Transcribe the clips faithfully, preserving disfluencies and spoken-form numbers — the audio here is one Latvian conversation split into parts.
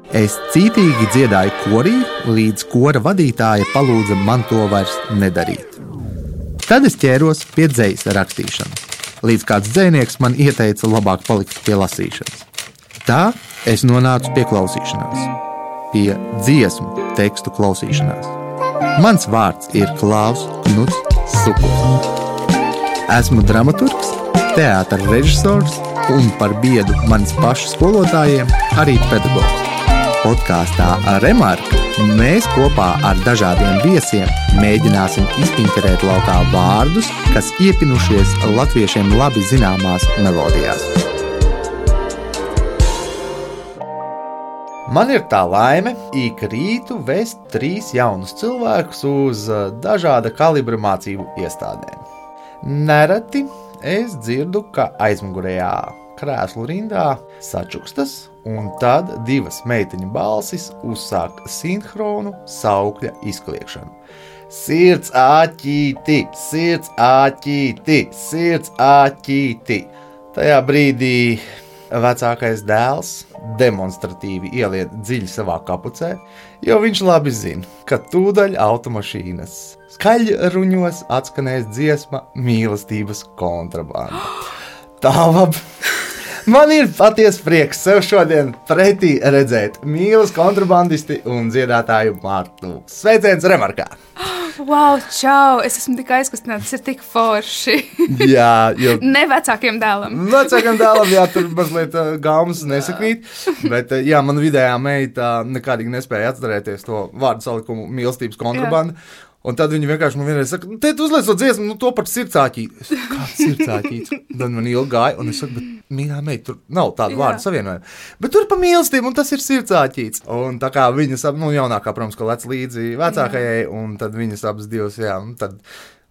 Es cītīgi dziedāju korī, līdz kora vadītāja palūdza man to vairs nedarīt. Tad es ķēros pie dzejas rakstīšanas, līdz kāds dzejnieks man ieteica labāk palikt pie lasīšanas. Tā es nonācu pie klausīšanās, pie dziesmu tekstu klausīšanās. Mans vārds ir Klaus Knuts Sukuls. Esmu dramaturgs, teātra režisors un par biedu manis pašu skolotājiem arī pedagogs. Podkāstā Remarka mēs kopā ar dažādiem viesiem mēģināsim izpinterēt laukā vārdus, kas iepinušies latviešiem labi zināmās melodijās. Man ir tā laime ik rītu vest trīs jaunus cilvēkus uz dažāda kalibra mācību iestādēm. Nereti es dzirdu, ka aizmugurējā krēslu rindā sačukstas, un tad divas meiteņu balsis uzsāk sinhronu saukļa izkliekšanu. Sirds āķīti, sirds āķīti, sirds āķīti. Tajā brīdī vecākais dēls demonstratīvi ieliet dziļi savā kapucē, jo viņš labi zina, ka tūdaļ automašīnas skaļruņos atskanēs dziesma mīlestības kontrabanda. Tā labi. Man ir paties prieks sev šodien pretī redzēt mīlas kontrabandisti un dziedātāju Martu. Sveiciens Remarkā! Wow, čau! Es esmu tik aizkustināta, tas ir tik forši. Jā, jo... Ne vecākiem dēlam. Vecākiem dēlam, jā, tur mazliet uh, gaumas nesakrīt, bet uh, jā, man vidējā meita nekādīgi nespēja atcerēties to vārdu salikumu mīlestības kontrabanda. Jā. Un tad viņi vienkārši man vienreiz saka, te tu uzliec to dziesmu, nu to par sirdsāķīti. Kāds sirdsāķīts? Tad man ilgi gāja, un es saku, bet mīļā meita, tur nav tāda vārda savienojuma. Bet tur pa mīlestību, un tas ir sirdsāķīts. Un tā kā viņas, nu jaunākā, protams, ka lec līdzi vecākajai, un tad viņas abas divas, jā, un tad...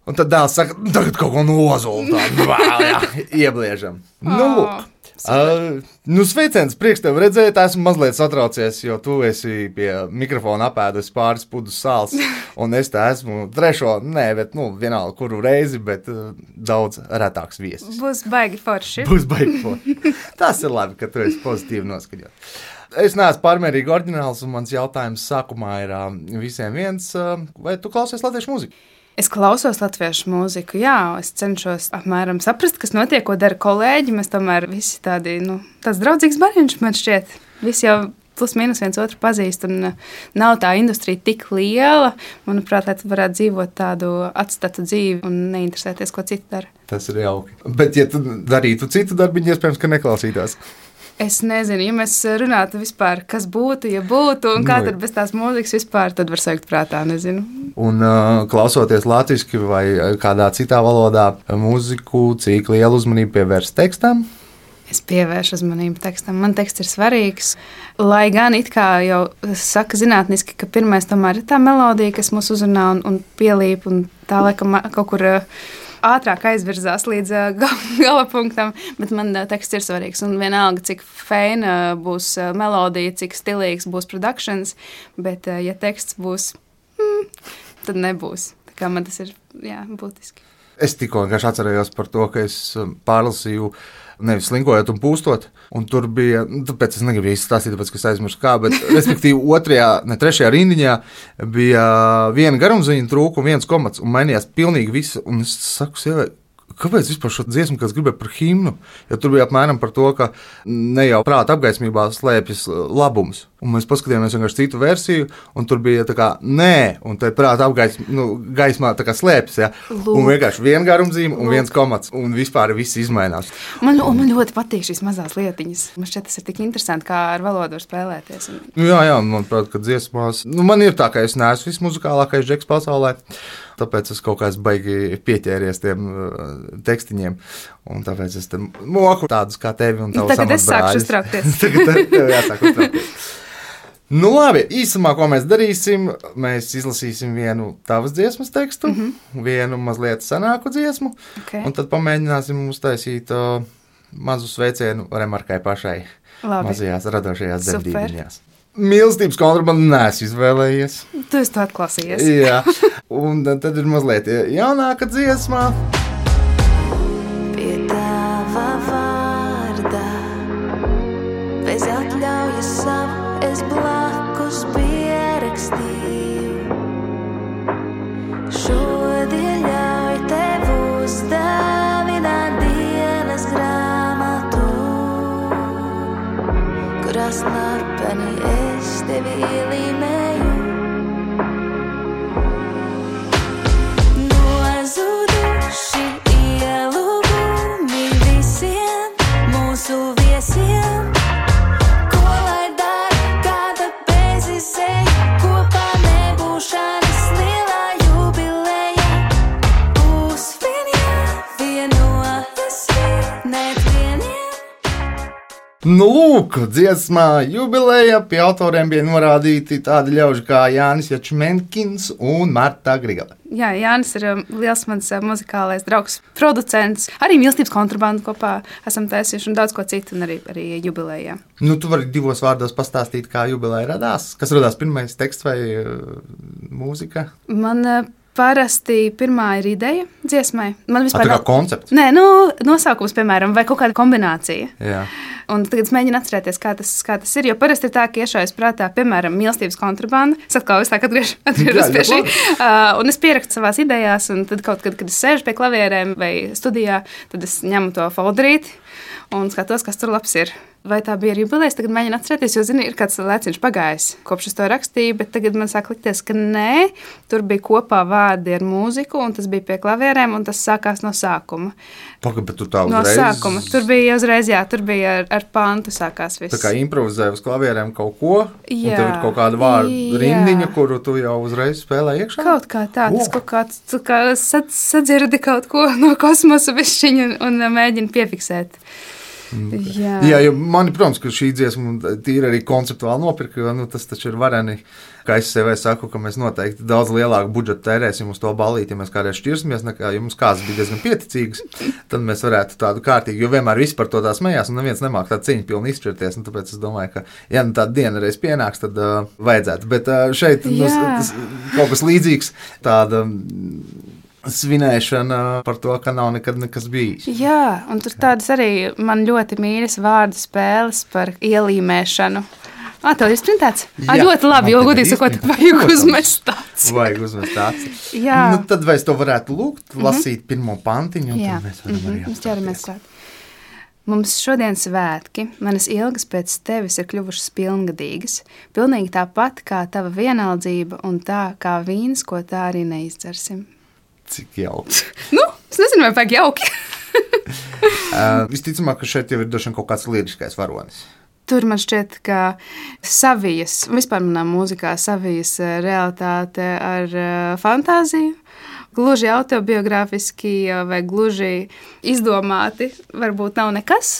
Un tad dēls saka, tagad kaut ko nozulu tādu, jā, iebliežam. Oh, nu, lūk. Uh, nu, sveiciens, prieks tev redzēt, esmu mazliet satraucies, jo tu esi pie mikrofona apēdus pāris pudus sāls, un es tā esmu trešo, nē, bet, nu, vienalga kuru reizi, bet uh, daudz retāks viesis. Būs baigi forši. Būs baigi forši. Tas ir labi, ka tu esi pozitīvi noskaņot. Es neesmu pārmērīgi oriģināls, un mans jautājums sākumā ir uh, visiem viens, uh, vai tu klausies latviešu mūziku? Es klausos latviešu mūziku, jā, es cenšos apmēram saprast, kas notiek, ko dara kolēģi. Mēs tomēr visi tādi, nu, tāds draudzīgs bariņš man šķiet. Visi jau plus mīnus viens otru pazīst, un nav tā industrija tik liela. Manuprāt, lai tu varētu dzīvot tādu atstatu dzīvi un neinteresēties, ko citi dara. Tas ir jauki. Bet, ja tu darītu citu darbiņu, iespējams, ka neklausītās. Es nezinu, ja mēs runātu vispār, kas būtu, ja būtu, un kā tad bez tās mūzikas vispār, tad var sajūt prātā, nezinu. Un uh, klausoties latviski vai kādā citā valodā mūziku, cik lielu uzmanību pievērst tekstam? Es pievēršu uzmanību tekstam. Man teksts ir svarīgs, lai gan it kā jau saka zinātniski, ka pirmais tomēr ir tā melodija, kas mūs uzrunā un, un pielīp, un tā laikam kaut kur... Uh, ātrāk aizvirzās līdz uh, gala punktam, bet man uh, teksts ir svarīgs. Un vienalga, cik feina būs uh, melodija, cik stilīgs būs productions, bet uh, ja teksts būs, hmm, tad nebūs. Tā kā man tas ir, jā, būtiski. Es tikko vienkārši atcerējos par to, ka es pārlasīju nevis slinkojot un pūstot, un tur bija, tāpēc es negribu izstāstīt, tāpēc, ka es aizmirstu kā, bet respektīvi otrajā, ne trešajā rindiņā bija viena garumziņa trūka un viens komats, un mainījās pilnīgi viss, un es saku sievai, kāpēc vispār šo dziesmu, kas gribēja par himnu, jo tur bija apmēram par to, ka ne jau prāta apgaismībā slēpjas labums. Un mēs paskatījāmies vienkārši citu versiju, un tur bija tā kā nē, un te prāta apgaismā, nu, gaismā tā kā slēpjas, ja. Lūk. Un vienkārši viena garumzīme un viens komats, un vispār viss izmainās. Man, man ļoti patīk šīs mazās lietiņas. Man šķiet, tas ir tik interesanti, kā ar valodu var spēlēties. Un... Nu, jā, jā, manuprāt, ka dziesmās, nu, man ir tā, ka es neesmu vismuzikālākais džeks pasaulē, tāpēc es kaut kāds baigi pieķēries tiem uh, tekstiņiem, un tāpēc es te moku tādus kā tevi un tavus amatbrāļus. Tagad es sākšu uztraukties. Tagad tev jāsāk uztraukties. Nu labi, īsumā, ko mēs darīsim, mēs izlasīsim vienu tavas dziesmas tekstu, mm-hmm. vienu mazliet senāku dziesmu, okay. Un tad pamēģināsim uztaisīt uh, mazu sveicienu Remarkai pašai labi. Mazajās radošajās debdīviņās. Mīlestības kontrabandu neesmu izvēlējies. Tu esi to atklāsījies. Jā, un tad ir mazliet jaunāka dziesmā. Pie tava vārda, bez atļaujas savu es blāvu. blakus pierakstīju. Šodien ļauj tev uzdāvināt dienas grāmatu, kurā slepeni es tevi ielīmēju. Nozuduši ielūgumi visiem mūsu viesiem, ko lai dara, kāda bezizēja, kopā nebūšanas lielā jubileja. Uzvien jāvienojas vienēt vieniem. Nu, lūk, dziesmā jubileja pie autoriem bija norādīti tādi ļauži kā Jānis Jačmenkins un Marta Grigale. Jā, Jānis ir um, liels mans uh, muzikālais draugs, producents. Arī mīlestības kontrabandu kopā esam taisījuši un daudz ko citu, un arī, arī jubilejā. Nu, tu vari divos vārdos pastāstīt, kā jubileja radās? Kas radās pirmais teksts vai uh, mūzika? Man uh, parasti pirmā ir ideja dziesmai. Man vispār tā kā koncepts? Nē, nu, nosaukums, piemēram, vai kaut kāda kombinācija. Jā. Un tagad es mēģinu atcerēties, kā tas, kā tas ir. Jo parasti ir tā, ka iešaujas prātā, piemēram, mīlestības kontrabanda. Es atkal visu tā atgriež, atgriežos pie šī. Uh, un es pierakstu savās idejās, un tad kaut kad, kad es sēžu pie klavierēm vai studijā, tad es ņemu to folderīti un skatos, kas tur labs ir. Vai tā bija jubilejas, tagad mēģinu atcerēties, jo, zini, ir kāds lēciņš pagājis, kopš es to rakstīju, bet tagad man sāk likties, ka nē, tur bija kopā vārdi ar mūziku, un tas bija pie klavierēm, un tas sākās no sākuma. Paga, bet tu tā uzreiz... No sākuma. Tur bija uzreiz, jā, tur bija ar, ar pantu sākās viss. Tā kā improvizēja uz klavierēm kaut ko, jā, un tev ir kaut kāda vārdu rindiņa, kuru tu jau uzreiz spēlē iekšā? Kaut kā tā, tas oh. kaut kāds, tu kā sadzirdi kaut ko no kosmosa višķiņa un, un mēģini piefiksēt. Jā, jā, jo mani, protams, ka šī dziesma tīri arī konceptuāli nopirka, jo nu, tas taču ir vareni, kā es sev saku, ka mēs noteikti daudz lielāku budžetu tērēsim uz to ballīti, ja mēs kādreiz šķirsimies, nekā, ja mums kāds bija diezgan pieticīgs, tad mēs varētu tādu kārtīgu, jo vienmēr visi par to tā smējās, un neviens nemāk tā ciņu pilni izšķirties, un tāpēc es domāju, ka, ja nu tāda diena reiz pienāks, tad uh, vajadzētu, bet uh, šeit nu, tas, kaut kas līdzīgs, tāda svinēšana par to, ka nav nekad nekas bijis. Jā, un tur tādas arī man ļoti mīļas vārdu spēles par ielīmēšanu. Ā, tev ir sprintēts? Ā, ļoti labi, jo, godīgi sakot, vajag uzmest tāds. Vajag uzmest tāds. Jā. Nu, tad vai es to varētu lūgt, lasīt mm-hmm. pirmo pantiņu, un jā. tad mēs varam mm-hmm. arī apstāties. Mums ķeramies klāt. Mums šodien svētki, manas ilgas pēc tevis ir kļuvušas pilngadīgas, pilnīgi tāpat kā tava vienaldzība un tā kā vīns, ko tā arī neizdzersim. Cik jauki. Nu, es nezinu, vai vajag jauki. uh, visticamāk, ka šeit jau ir došana kaut kāds liriskais varonis. Tur man šķiet, ka savijas, vispār manā mūzikā savijas realitāte ar uh, fantāziju, gluži autobiogrāfiski vai gluži izdomāti, varbūt nav nekas.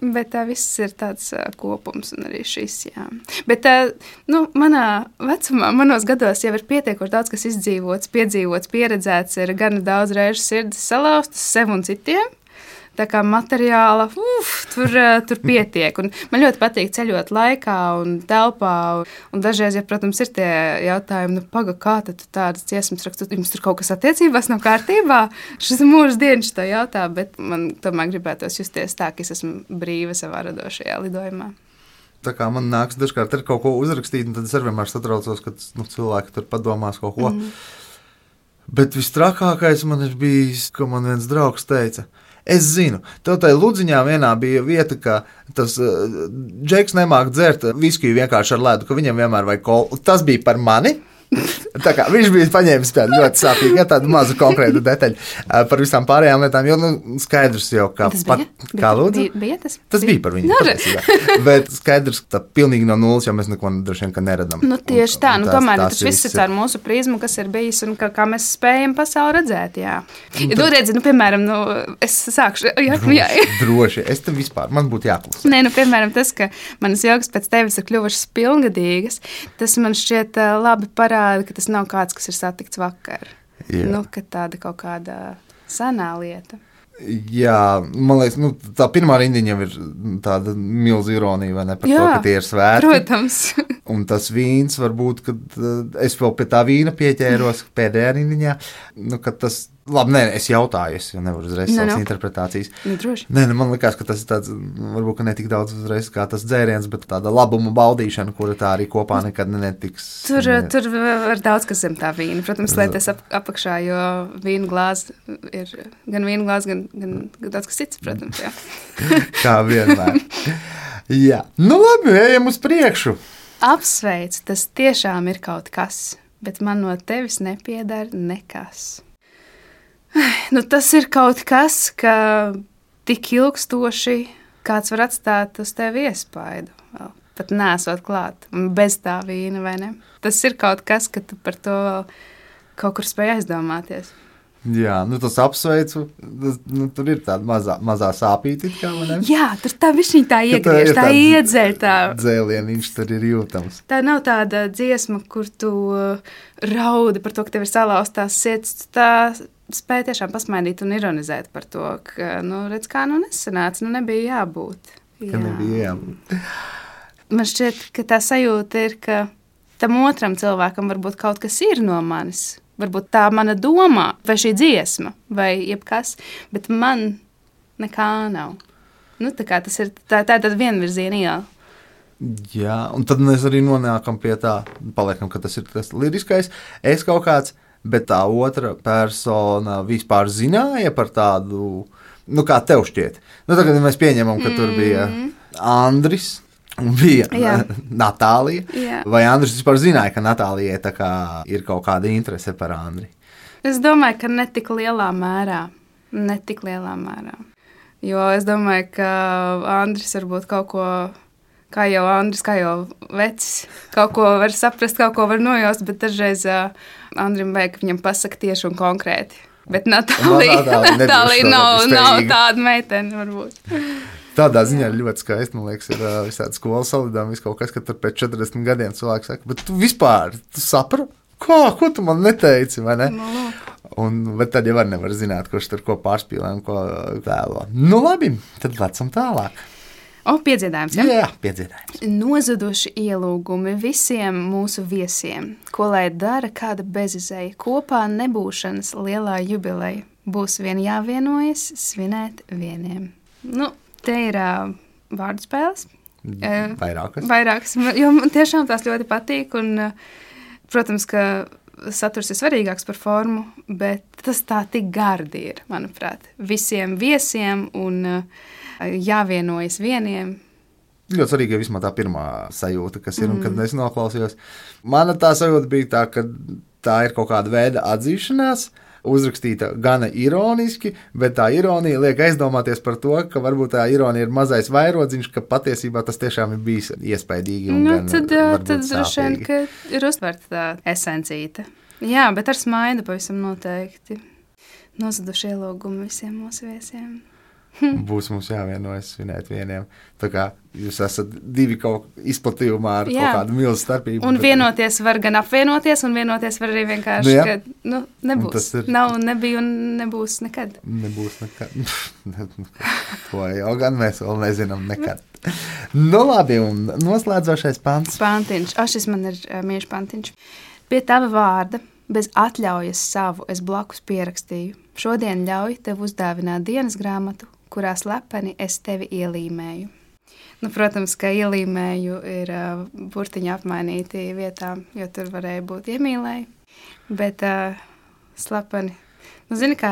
Bet tā viss ir tāds uh, kopums, un arī šis, jā. Bet uh, nu, manā vecumā, manos gados jau ir pietiekoši daudz, kas izdzīvots, piedzīvots, pieredzēts, ir gan daudz reižu sirdis salauztas sev un citiem. Tā kā materiāla, uf, tur, uh, tur pietiek. Un man ļoti patīk ceļot laikā un telpā, un, un dažreiz, ja, protams, ir tie jautājumi, nu, paga, kā tad tu tādas dziesmas rakstu, jums tur kaut kas attiecībās nav kārtībā? Šis mūžs dienas to jautā, bet man tomēr gribētos justies tā, ka es esmu brīva savā radošajā lidojumā. Tā kā man nāks dažkārt ir kaut ko uzrakstīt, un tad es arī vienmēr satraucos, ka nu, cilvēki tur padomās kaut ko. Mm. Bet vistrakākais man ir bijis, ka man viens draugs teica, es zinu, tev tai Ludziņā vienā bija vieta, ka tas uh, džeks nemāk dzert viskiju vienkārši ar ledu, ka viņam vienmēr vajag kolu. Tas bija par mani. Tā kā viņš bija paņēmis tādu ļoti sāpīgu, ja, tādu mazu konkrētu detaļu uh, par visām pārējām lietām, jo nu, skaidrs jau, kā, pat, kā lūdzu. Bija, bija tas? Tas bija par viņu. Bet skaidrs, ka pilnīgi no nulles, jo mēs neko droši vien, ka neredam. Nu, tieši tā, un, un nu tomēr tas viss ir caur mūsu prizmu, kas ir bijis un kā, kā mēs spējam pasauli redzēt, jā. Ja tu redzi, nu, piemēram, nu, es sākšu, jā, droši, jā. droši, es tam vispār, man būtu jāklusē. Nē, nu, piemēram, tas, ka manas jogas pēc tevis ir kļuvušas pilngadīgas, tas man šķiet uh, labi parāda, ka tas nav kāds, kas ir satikts vakar. Jā. Nu, ka tāda kaut kāda senā lieta. Jā, man liekas, nu, tā pirmā rindiņa jau ir tāda milzīga ironija, vai ne, par jā, to, ka tie ir svētki. Protams. Un tas vīns varbūt, kad es vēl pie tā vīna pieķēros pēdējā rindiņā, nu, ka tas Labi, nē, es jautāju, es jau nevaru uzreiz Nu, savas nu. interpretācijas. Nu, droši. Nē, nu, man liekas, ka tas ir tāds, varbūt ka ne tik daudz uzreiz kā tas dzēriens, bet tāda labuma baudīšana, kura tā arī kopā nekad netiks. Tur, ne, tur var daudz kas zem tā vīna. Protams, lietas ap, apakšā, jo vīna glāze ir gan vīna glāze, gan, gan, gan daudz kas cits, protams. Jā. Kā vienmēr. Jā, nu labi, ejam uz priekšu. Apsveic, tas tiešām ir kaut kas, bet man no tevis nepiedara nekas. Nu, tas ir kaut kas, ka tik ilgstoši kāds var atstāt uz tevi iespaidu. Vēl pat nesot klāt, un bez tā vīna, vai ne? Tas ir kaut kas, ka tu par to vēl kaut kur spēj aizdomāties. Jā, nu tas apsveicu, tas, nu, tur ir tāda mazā, mazā sāpīte, kā man ir. Jā, tur tā višķiņ tā Ka tā iegriež, ir tā tāds iedzeļ tā. Dzēlieniņš tur ir jūtams. Tā nav tāda dziesma, kur tu uh, raudi par to, ka tev ir salauztās sirds. Tā spēja tiešām pasmaidīt un ironizēt par to, ka, nu, redz, kā nu nesanāca, nu nebija jābūt. Ka nebija jābūt. Man šķiet, ka tā sajūta ir, ka tam otram cilvēkam varbūt kaut kas ir no manis. Varbūt tā mana doma, vai šī dziesma, vai jebkas, bet man nekā nav. Nu, tā kā tas ir tā, tā tad vienvirziena iela. Jā, un tad mēs arī nonākam pie tā, paliekam, ka tas ir tas liriskais. Es kaut kāds, bet tā otra persona vispār zināja par tādu, nu kā tev šķiet. Nu, tagad mēs pieņemam, ka tur bija Andris un bija Jā. Natālija. Jā. Vai Andris vispār zināja, ka Natālijai tā kā ir kaut kāda interese par Andri? Es domāju, ka ne tik lielā mērā. Ne tik lielā mērā. Jo es domāju, ka Andris varbūt kaut ko, kā jau Andris, kā jau vecis, kaut ko var saprast, kaut ko var nojaust, bet dažreiz uh, Andrim vajag, ka viņam pasaka tieši un konkrēti. Bet Natālija, Natālija nebija Natālija šo nav, nav spējīga. tāda meitene, varbūt. Tādā ziņā ir ļoti skaisti, man liekas, ir uh, visādi skolas salidām, viss kaut kas, ka tur pēc četrdesmit gadiem cilvēks saka, bet tu vispār, tu saprati, ko, ko tu man neteici, vai ne? No. Un, bet tad jau var nevar zināt, kurš tur ko pārspīlē un ko vēlo. Nu labi, tad lecam tālāk. O, piedziedājums, Jā, ja? jā, piedziedājums. Nozuduši ielūgumi visiem mūsu viesiem, ko lai dara kāda bezizēja, kopā nebūšanas lielā jubileja. Būs vien jāvienojas svinēt vieniem. Nu, te ir uh, vārdu spēles. Uh, Vairākas. Vairākas, jo man tiešām tās ļoti patīk. Un, uh, protams, ka saturs ir svarīgāks par formu, bet tas tā tik gardi ir, manuprāt. Visiem viesiem un uh, jāvienojas vieniem. Ļoti svarīgi ir vismaz tā pirmā sajūta, kas ir, mm. un kad es noklausījos. Mana tā sajūta bija tā, ka tā ir kaut kāda veida atzīšanās, uzrakstīta gana ironiski, bet tā ironija liek aizdomāties par to, ka varbūt tā ironija ir mazais vairodziņš, ka patiesībā tas tiešām ir bijis iespaidīgi un Nu, gan tad varbūt tad droši vien, sāpīgi. ka ir uztverta tā esencīta. Jā, bet ar smaidu pavisam noteikti. Nozaduši ielūgumi visiem mūsu viesiem. Būs mums jāvienojas svinēt vieniem. Tā kā jūs esat divi kaut izplatījumā ar Jā. kaut kādu milzu starpību. Un bet- vienoties var gan apvienoties, un vienoties var arī vienkārši, Nu jā. ka nu, nebūs. tas ir- Nav, nebija un nebūs nekad. Nebūs nekad. To jau gan mēs vēl nezinām nekad. Nu labi, un noslēdzošais pants. Pantiņš, o, šis man ir uh, mīļš pantiņš. Pie tava vārda, bez atļaujas savu, es blakus pierakstīju. Šodien ļauj tev uzdāvināt dienas grāmatu, kurā slepeni es tevi ielīmēju. Nu, protams, ka ielīmēju ir uh, burtiņa apmainīti vietām, jo tur varēja būt iemīlēji, bet uh, slepeni. Nu, zini, kā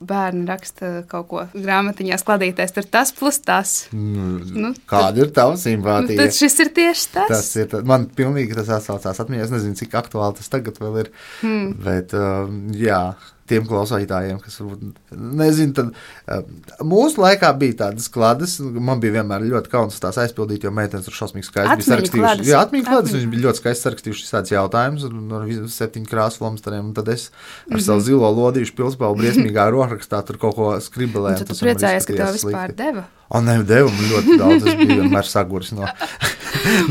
bērni raksta kaut ko grāmatiņā skladīties, tur tas plus tas. Nu, Nu, kāda ir tava Nu, simpātija? tad šis ir tieši tas. Tas ir, tā- man pilnīgi tas atsaucās atmiņā. Es nezinu, cik aktuāli tas tagad vēl ir. Hmm. Bet, um, jā, tiem klausītājiem, kas varbūt nezinu, tad um, mūsu laikā bija tādas kladas. Man bija vienmēr ļoti kauns tās aizpildīt, jo meitenes tur šausmīgi skaisti bija Atmiņu sarakstījušas. kladas. Jā, atmiņu kladas. Atmiņu. Viņi bija ļoti skaisti sarakstījuši tādas jautājumus ar visiem septiņu krāsu flomsteriem. Un tad es ar savu zilo lodīšu pilspēlu briesmīgā rokrakstā tur kaut ko skribelēju. Un tad tu priecājies, ka tev vispār deva. O, ne, deva man ļoti daudz. Es biju vienmēr saguris no,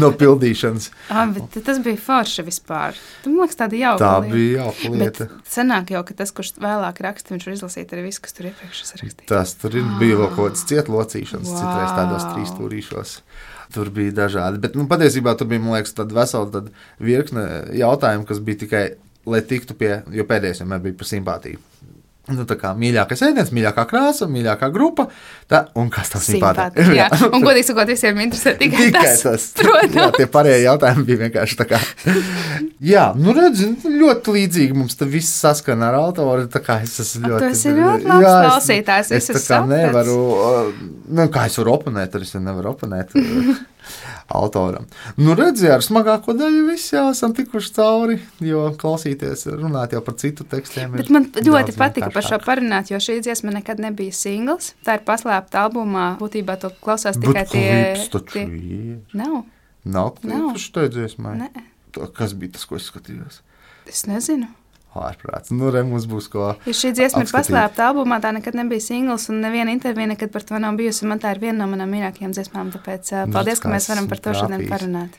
no pildīšanas. Ah, bet tas bija forši vispār. Tu, man liekas, tāda jauka Tā lieta. bija jauka Bet lieta. sanāk jau, ka tas, kurš vēlāk raksta, viņš var izlasīt arī visu, kas tur iepriekš ir sarakstīts. Tas tur ir, bija vēl kaut kāds cietlocīšanas, Wow. citreiz tādos trīs stūrīšos. Tur bija dažādi. Bet nu, patiesībā tur bija, man liekas, tāda vesela tāda virkne jautājumu, kas bija tikai, lai tiktu pie, jo pēdējais vienmēr bija par simpātiju. Nu, tā kā mīļākais ēdiens, mīļākā krāsa, mīļākā grupa. Tā, un kas tas Simpātika, jā. Un godīgi sakot, visiem interesē tikai, tikai tas. tas. Protams. Jā, tie pārējie jautājumi bija vienkārši tā kā. Jā, nu redzi, ļoti līdzīgi mums te viss saskana ar autoru. Tā kā es esmu ļoti... Tu esi ļoti labs jā, klausītājs, es, viss es ir tā kā sapratis. nevaru, nu kā es varu oponēt, arī es nevaru oponēt autoram. Nu redzi, ar smagāko daļu viss jau esam tikuši cauri, jo klausīties, runāt jau par citu tekstiem. Bet man ļoti patika par šo parunāt, jo šī dziesma nekad nebija singls. Tā ir paslēpta albumā, būtībā to klausās tikai tie... Bet klips taču ir. Nav. Nav Nav. klips štai dziesmai? Nē. Kas bija tas, ko es skatījos? Es nezinu. Ārprāts. Nu, re, mums būs ko Jo šī dziesma ir apskatīt. paslēpta albumā, tā nekad nebija singls, un neviena intervija nekad par to nav bijusi. Man tā ir viena no manām mīļākajām dziesmām, tāpēc uh, paldies, ka mēs varam par to šodien trāpījis. parunāt.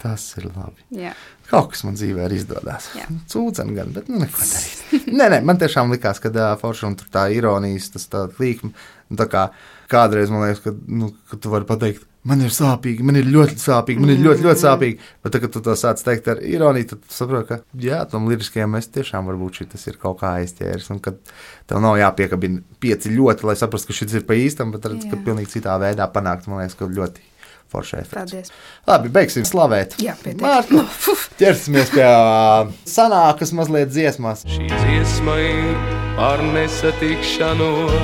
Tas ir labi. Jā. Kaut kas man dzīvē ir izdodas. Jā. Cūcen gan, bet nu neko darīt. nē, nē, man tiešām likās, ka uh, forši un tur tā ironijas, tas tā līkuma. Tā kā kādreiz man liekas, ka, nu, ka tu vari pateikt, man ir sāpīgi, man ir ļoti sāpīgi, man ir ļoti, ļoti sāpīgi. Bet tad, kad tu to sāc teikt ar ironiju, tad tu saproti, ka jā, tam liriskajam mēs tiešām varbūt šitas ir kaut kā aizķēris. Un kad tev nav jāpiekabina pieci ļoti, lai saprastu, ka šis ir pa īstam, bet redz, ka Jā. pilnīgi citā veidā panākt, man liekas, ka ļoti forši efekts. Paldies. Labi, beigsim slavēt. Jā, pietiek. Mārtu, Nu, fuf. ķersimies pie ā, sanākas mazliet dziesmās. Šī dziesma ir par nesatikšanos,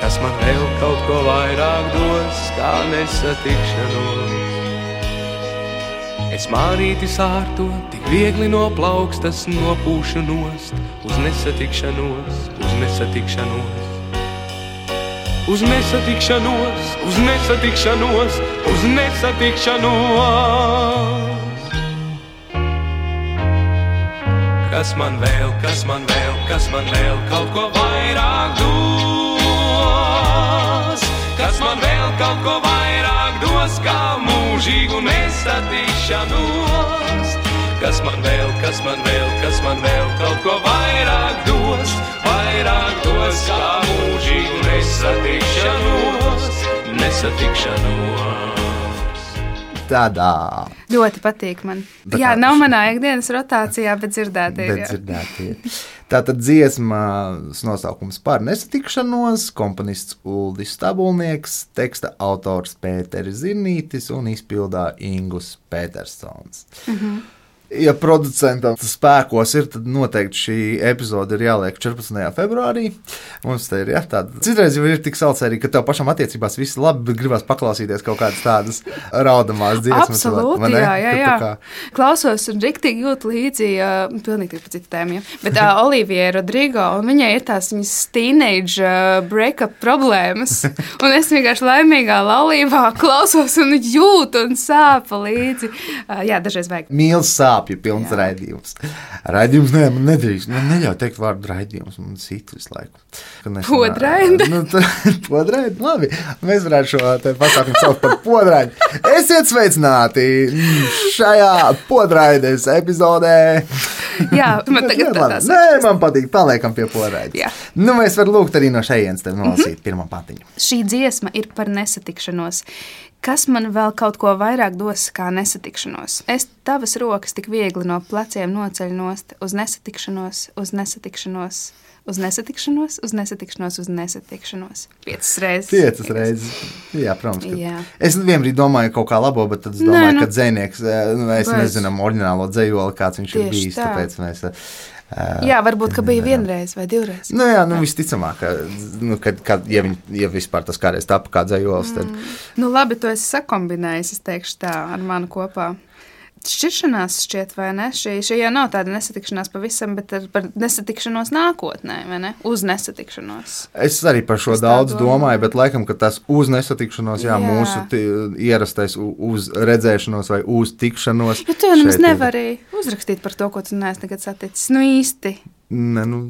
kas man vēl kaut ko vairāk dos, kā nesatikšanos. Es mārīti sārto, tik viegli no plaukstas nopūšu nost, uz nesatikšanos, uz nesatikšanos. Uz nesatikšanos, uz nesatikšanos, uz nesatikšanos. Kas man vēl, kas man vēl, kas man vēl kaut ko vairāk dos? Kas man vēl kaut ko vairāk dos, kā mūžīgu nesatikšanos? Kas man vēl, kas man vēl, kas man vēl kaut ko vairāk dos, vairāk dos, kā mūžīgu nesatikšanos, nesatikšanos. Tādā. Ļoti patīk man. Tā Jā, kā- nav manā ikdienas rotācijā, bet dzirdēt ir. Bet jā. dzirdētie. Tātad dziesmas nosaukums par nesatikšanos, komponists Uldis Stabulnieks, teksta autors Pēteris Zirnītis un izpildā Ingus Petersons. Mhm. Ja producentam tas spēkos ir, tad noteikti šī epizode ir jāliek četrpadsmitajā februārī. Mums te ir jā, tāda. Citreiz jau ir tik salcerīgi, ka tev pašam attiecībās viss labi, bet gribas paklausīties kaut kādas tādas raudamās dziesmas. Absolūti, vai ne? jā, jā, Ka jā. tā kā- Klausos un riktīgi jūtu līdzi, uh, pilnīgi par citu tēmu, ja. Bet uh, Olivija Rodrigo, un viņai ir tās viņas teenage uh, breakup problēmas, un es vienkārši laimīgā laulībā klausos un jūtu un sāpa līdzi. Uh, jā, dažreiz vajag. Mīls sāpju pilns Jā. raidījums. Raidījums, nē, man nedrīkst. Man neļauj teikt vārdu raidījums, man sit visu laiku. Ka nesanā- Podraidi. Nu, tā- podraidi, labi. Mēs varētu šo te pasākumu saukt par podraidi. Esiet sveicināti šajā podraides epizodē. Jā, man tagad tā Labi. tās. Nē, man patīk, paliekam pie podraides. Jā. Nu, mēs varam lūgt arī no šejienes tev nolasīt pirmo patiņu. Šī dziesma ir par nesatikšanos. Kas man vēl kaut ko vairāk dos kā nesatikšanos? Es tavas rokas tik viegli no pleciem noceļu nost uz nesatikšanos, uz nesatikšanos, uz nesatikšanos, uz nesatikšanos, uz nesatikšanos. Piecas reizes. Piecas reizes. Jā, protams. Ka... Jā. Es vienbrīd domāju kaut kā labo, bet tad es domāju, Nē, nu- ka dzejnieks, eh, nu, mēs Bez. nezinām oriģinālo dzejoli, kāds viņš ir Tieši bijis, tā. tāpēc mēs... eh, Jā, varbūt, ka bija vienreiz vai divreiz. Nu jā, nu visticamāk, ka, nu, kad, kad, ja, viņ, ja vispār tas kādreiz tapa kā dzejols, tad... Nu, labi, to esi sakombinējis, es teikšu tā, ar mani kopā. Šķiršanās šķiet, vai ne? Šī, šī jau nav tāda nesatikšanās pavisam, bet ar, par nesatikšanos nākotnē, vai ne? Uz nesatikšanos. Es arī par šo Es tā daudz domāju. domāju, bet laikam, ka tas uz nesatikšanos, jā, jā. Jā. mūsu ti- ierastais u- uz redzēšanos vai uz tikšanos. Jo tu jau nemaz šeit ir- nevari uzrakstīt par to, ko tu neesi nekad saticis. Nu īsti. Ne, nu,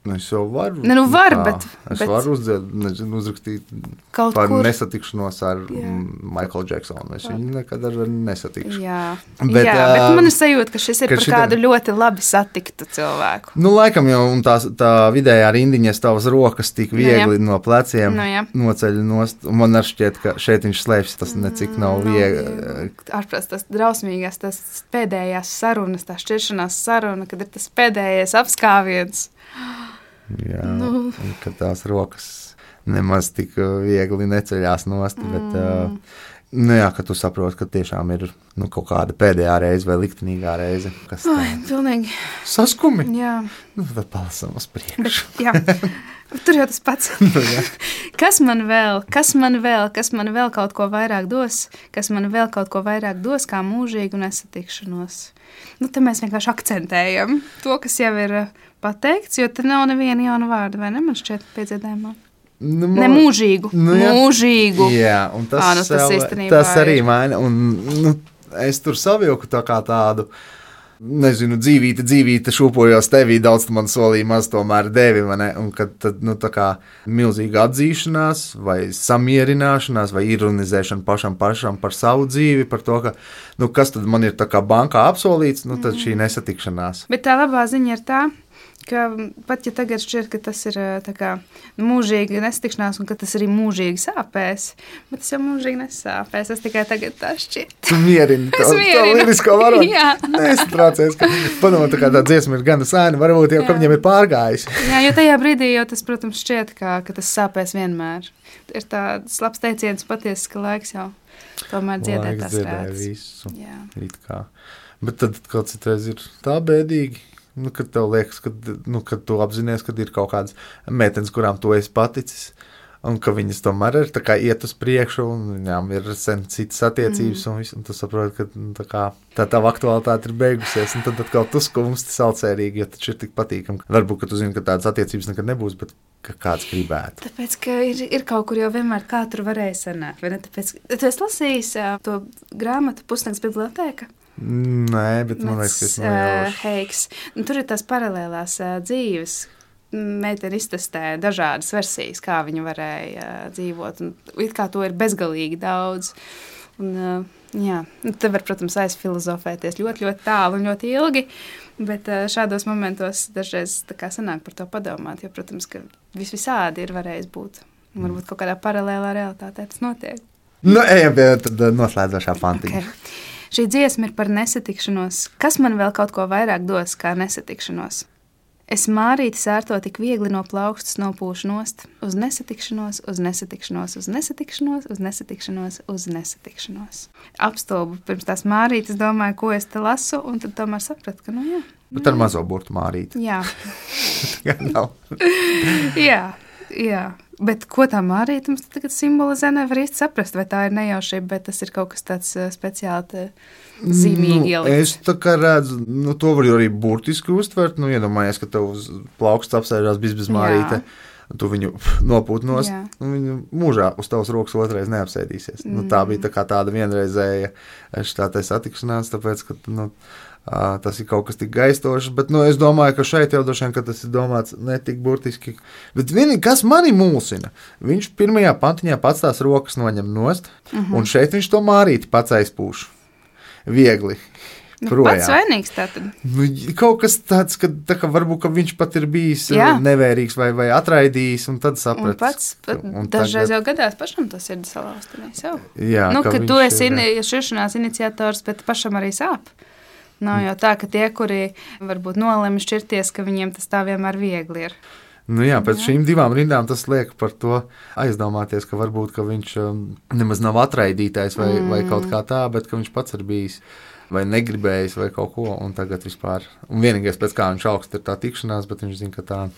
Nu, es jau varu. Ne, nu var, kā, bet- Es bet- varu uzdzied, nezinu, uzrakstīt Kaut par kur. nesatikšanos ar Jā. Michaelu Jacksonu. Es viņu nekad ar nesatikšu. Jā, Bet, bet, jā, bet ā, man ir sajūta, ka šis ir ka par šitam- kādu ļoti labi satiktu cilvēku. Nu, laikam jau un tā, tā vidējā rindiņa tavas rokas tik viegli Nu, no pleciem Nu, jā. noceļ nost. Un man arī šķiet, ka šeit viņš slēpjas tas necik nav viegli. Ārprāt, tas drausmīgās, tas pēdējās sarunas, tā šķiršanās saruna, kad ir tas pēdējais apskāviens. Jā, Nu. un ka tās rokas nemaz tik viegli neceļās nost. Bet, uh, nu jā, ka tu saproti, ka tiešām ir nu, kaut kāda pēdējā reize vai liktenīgā reize, kas Ai, tā pilnīgi, saskumi. jā. Nu, tad palasam uz Bet, priekšu. jā. Tur jau tas pats. Kas man vēl, kas man vēl, kas man vēl kaut ko vairāk dos, kas man vēl kaut ko vairāk dos, kā mūžīgu nesatikšanos. Nu, te mēs vienkārši akcentējam to, kas jau ir uh, pateikts, jo te nav neviena jauna vārda, vai ne? Man šķiet piedziedājumā. Nu, Ne mūžīgu, Nu, jā. mūžīgu. Jā, un tas, Ā, nu, tas vēl- īstenībā tas ir. arī maina. Un, nu, es tur savilku tā kā tādu, nezinu, dzīvīti, dzīvīti šūpojos tevī, daudz tu man solīja, maz tomēr devi. vai ne? Un kad tad, nu, tā kā milzīga atzīšanās, vai samierināšanās, vai ironizēšana pašam pašam par savu dzīvi, par to, ka, nu, kas tad man ir tā kā bankā apsolīts, nu, tad šī nesatikšanās. Bet tā labā ziņa ir tā, ka pat ja tagad šķiet, ka tas ir ā, tā kā nu, mūžīgi nesatikšanās un ka tas arī mūžīgi sāpēs, bet tas jau mūžīgi nesāpēs. Tas tikai tagad tā šķiet. Tu mierini to, Es to mierinu. lielisko varoni. Jā. Nesatraucies, ka padomā, tā kā tā dziesma ir gana sēna, varbūt jau, ka Jā. viņiem ir pārgājis. Jā, jo tajā brīdī jau tas, protams, šķiet, ka, ka tas sāpēs vienmēr. Ir tāds labs teiciens patiesi, ka laiks jau tomēr dziedē Laiks tās dziedē rētas. visu. Jā. It kā. Bet tad kaut citreiz ir tā bēdīgi, nu, kad tev liekas, ka nu, kad tu apzinies, ka ir kaut kādas meitenes, kurām tu esi paticis, un ka viņas tomēr ir tā kā iet uz priekšu, un viņām ir sen citas attiecības, mm. un, visu, un tu saproti, ka nu, tā, kā, tā tava aktualitāte ir beigusies, un tad atkal tu skumsti salcērīgi, jo taču ir tik patīkami. Varbūt, ka tu zini, ka tādas attiecības nekad nebūs, bet ka kāds gribētu. Tāpēc, ka ir, ir kaut kur jau vienmēr kā tur varēja sanākt. vai ne? Tāpēc, tu esi lasījis ā, to grāmatu Pusnakts bibliotēka? Nē, bet man liekas, ka es nojaušu. Heiks. Nu, tur ir tās paralēlās ā, dzīves. Meitene iztestē dažādas versijas, kā viņa varēja ā, dzīvot. Un it kā to ir bezgalīgi daudz. Un, ā, jā, nu, te var, protams, aizfilozofēties ļoti, ļoti tālu un ļoti ilgi, bet ā, šādos momentos dažreiz tā kā sanāk par to padomāt, jo, protams, ka vis visādi ir varējis būt. Un varbūt kaut kādā paralēlā realitātē tas notiek. Nu, ejam pie tad noslēdzošā pantiņa. Okay. Šī dziesma ir par nesatikšanos. Kas man vēl kaut ko vairāk dos kā nesatikšanos? Es mārīti sērto tik viegli no plaukstas nopūšu nost, uz nesatikšanos, uz nesatikšanos, uz nesatikšanos, uz nesatikšanos, uz nesatikšanos. Apstulbu pirms tās mārītes domāju, ko es te lasu, un tad tomēr sapratu, ka nu jā. Bet ar mazo burtu mārīt. Jā, Nav. jā, jā. Bet ko tā mārīte mums tagad simbolizē, nevar īsti saprast, vai tā ir nejaušība, bet tas ir kaut kas tāds uh, speciāli te zīmīgi Nu, ielikts. es tā kā redzu, nu, to var arī burtiski uztvert. Nu, iedomājies, ka tev uz plauksts apsēžās bizbizmārīte. Tu viņu nopūt nost, Jā. un viņu mūžā uz tavas rokas otrais neapsēdīsies. Mm. Nu, tā bija tā kā tāda vienreizēja šitā te satikšanās, tāpēc, ka nu, ā, tas ir kaut kas tik gaistošs, bet nu, es domāju, ka šeit jau droši vien, ka tas ir domāts ne tik burtiski. Bet vienīgi, kas mani mulsina, viņš pirmajā pantiņā pats tās rokas noņem nost, mm -hmm. un šeit viņš to mārīti pats aizpūš. Viegli. Nu, projām. pats vainīgs tātad. Nu, kaut kas tāds, ka, tā, ka varbūt ka viņš pat ir bijis Jā. nevērīgs vai, vai atraidījis, un tad Un sapratu. pats, pat, Un dažreiz tagad- jau gadās pašam tas ir salauzt. Jā, Nu, ka ka viņš tu esi ir, ini- šķiršanās iniciators, bet pašam arī sāp. Nav jau tā, ka tie, kuri varbūt nolēma šķirties, ka viņiem tas tā vienmēr viegli ir. Nu jā, pēc jā. šīm divām rindām tas liek par to aizdomāties, ka varbūt ka viņš um, nemaz nav atraidītājs vai, mm. vai kaut kā tā, bet ka viņš pats ir bijis vai negribējis vai kaut ko, un tagad vispār. Un vienīgais, pēc kā viņš augst, ir tā tikšanās, bet viņš zina, ka tā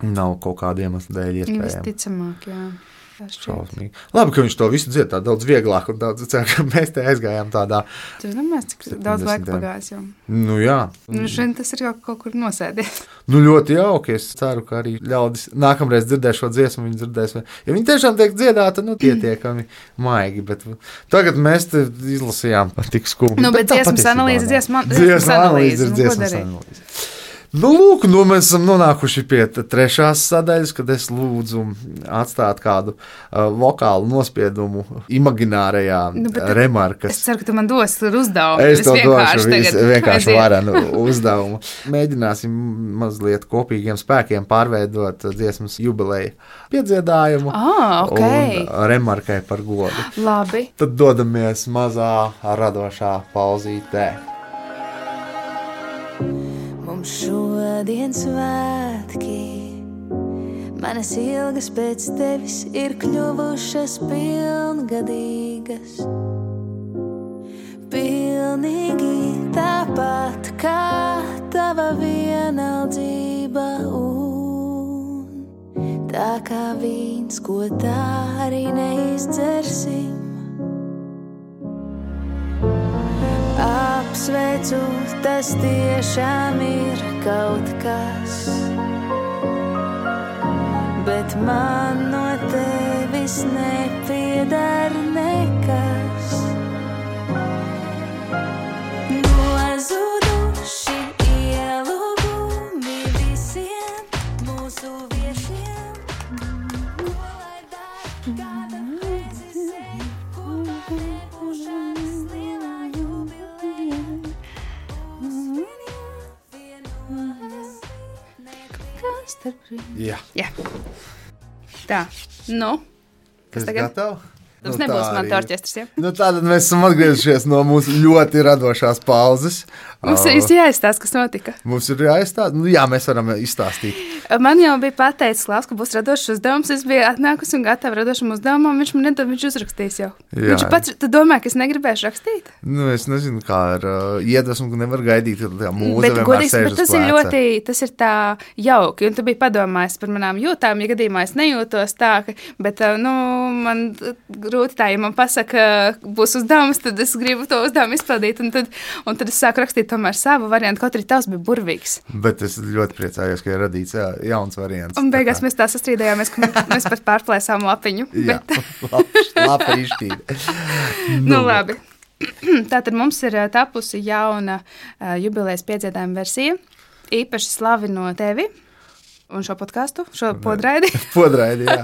nav kaut kāda iemesla dēļ iespējama. Visticamāk, jā. Tā šķiet. Šausmīgi. Labi, ka viņš to visu dzied tā daudz vieglāk, un daudz ceru, ka mēs te aizgājām tādā. Tu domāji, cik daudz laika pagājis jau? Nu jā. Nu, šodien tas ir kaut, kaut kur nosēdies. Nu ļoti jauki, es ceru, ka arī ļaudis nākamreiz dzirdēs šo dziesmu, viņi dzirdēs, ja viņi tiešām tiek dziedāta, nu pietiekami maigi, bet tagad mēs te izlasījām tik skumji. Nu, bet dziesmas analīze, dziesma, Dziesmas analīze ir nu, ko dziesmas darīt? analīze. Nu, lūk, nu mēs esam nonākuši pie trešās sadaļas, kad es lūdzu atstāt kādu uh, vokālu nospiedumu imaginārajā Nu, bet remarkas. Es ceru, ka tu man dos uzdevumu. Es to došu tagad vienkārši aiziet. varenu uzdevumu. Mēģināsim mazliet kopīgiem spēkiem pārveidot dziesmas jubileja piedziedājumu Ah, ok. un remarkai par godu. Labi. Tad dodamies mazā radošā pauzītē. Mums šodien svētki, manas ilgas pēc tevis ir kļuvušas pilngadīgas. Pilnīgi tāpat kā tava vienaldzība un tā kā vīns, ko tā arī neizdzersim. Apsveicu, tas tiešām ir kaut kas, bet man no tevis nepiedar nekas. Nozuduši ielūgumi visiem mūsu viesiem, ko lai dara, kāda reizes, ko nebūšanas lielā jubileja. Kas starp rīm? Jā, Jā. Tā, nu, kas es tagad? gatavu? Mums Nu, nebūs tā man arī. tā orķestris, ja? Nu, tātad mēs esam atgriezušies no mūsu ļoti radošās pauzes. Mums ir jāizstāsta, kas notika. Mums ir jāizstāsta. Nu, jā, mēs varam izstāstīt. Man jau bija pateicis, Klaus, ka būs radošs uzdevums. Es biju atnākusi un gatava radošam uzdevumam. Viņš man nedod, viņš uzrakstīs jau. Jā. Viņš pats, tu domā, ka es negribēšu rakstīt? Nu, es nezinu, kā ar uh, iedvesmu, ka nevar gaidīt, kad tā mūze Bet, vienmēr godīgs, sēž bet uz tas ir pleca. ļoti, tas ir tā jauki. Un tu biji padomājis par manām jūtām, ja gadījumā es nejūtos tā, ka, bet, uh, nu, man grūti tā, ja man pasaka, būs uzdevums, tad es gribu to uzdevumu izpildīt. Un tad, un tad es sāku rakstīt tomēr savu variantu, kaut arī tavs bija burvīgs. Bet es ļoti priecājos, ka ir radīts jā, jauns variants. Un beigās Tā kā- mēs tā sastrīdējāmies, ka mēs pat pārplēsām lapiņu. Jā, Bet, lapa izšķīda. nu, labi. Tātad mums ir ā, tapusi jauna uh, jubilejas piedziedājuma versija. Īpaši slavino tevi un šo podkāstu, šo podraidi. Podraidi, jā.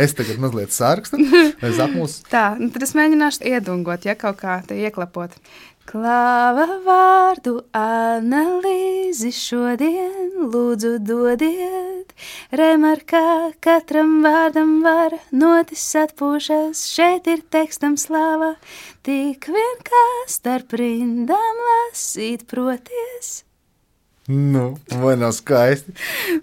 Es tagad mazliet sārkstu. Es apmūstu. Tā, nu tad es mēģināšu iedungot, ja kaut kā te ieklapot. Klāva vārdu analīzi šodien, lūdzu dodiet. Remarkā katram vārdam var notis atpūšas, šeit ir tekstam slāva. Tik vien kā starp rindām lasīt proties. Nu, vai nav skaisti?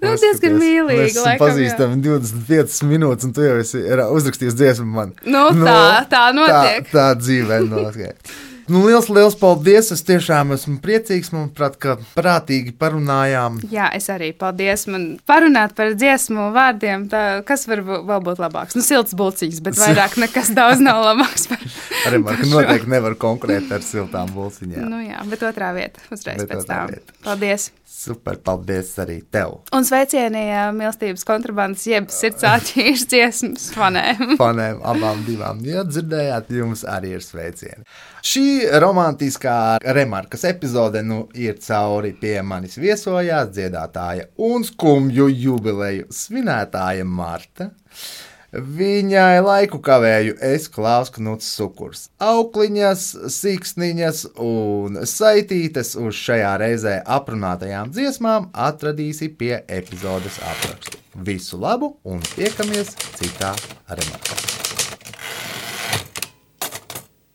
Nu, diezgan mīlīgi, Mēs esam laikam, pazīstami divdesmit piecas minūtes, un tu jau esi ra- uzrakstījis dziesmu man. Nu, tā, tā notiek. Tā, tā dzīvē notiek. Nu, liels, liels paldies! Es tiešām esmu priecīgs, manuprāt, ka prātīgi parunājām. Jā, es arī paldies. Man parunāt par dziesmu vārdiem, tā, kas var bu- vēl būt labāks. Nu, silts bulciņas, bet vairāk nekas daudz nav labāks par, Arī man, par ka šo. noteikti nevar konkurēt ar siltām bulciņām. Nu jā, bet otrā vieta uzreiz Bet pēc otrā tam. vieta. Paldies. Super, paldies arī tev! Un sveicieni ā, mīlestības kontrabandas, jeb sirds āķīšu dziesmas fanēm. Fanēm abām divām. Ja dzirdējāt, jums arī ir sveicieni. Šī romantiskā remarkas epizode nu ir cauri. Pie manis viesojās dziedātāja un skumju jubileju svinētāja Marta. Viņai laiku kavēju es, Klaus Knuts Sukurs. Aukliņas, siksniņas un saitītes uz šajā reizē aprunātajām dziesmām atradīsi pie epizodes aprakstu. Visu labu un tiekamies citā remarkā.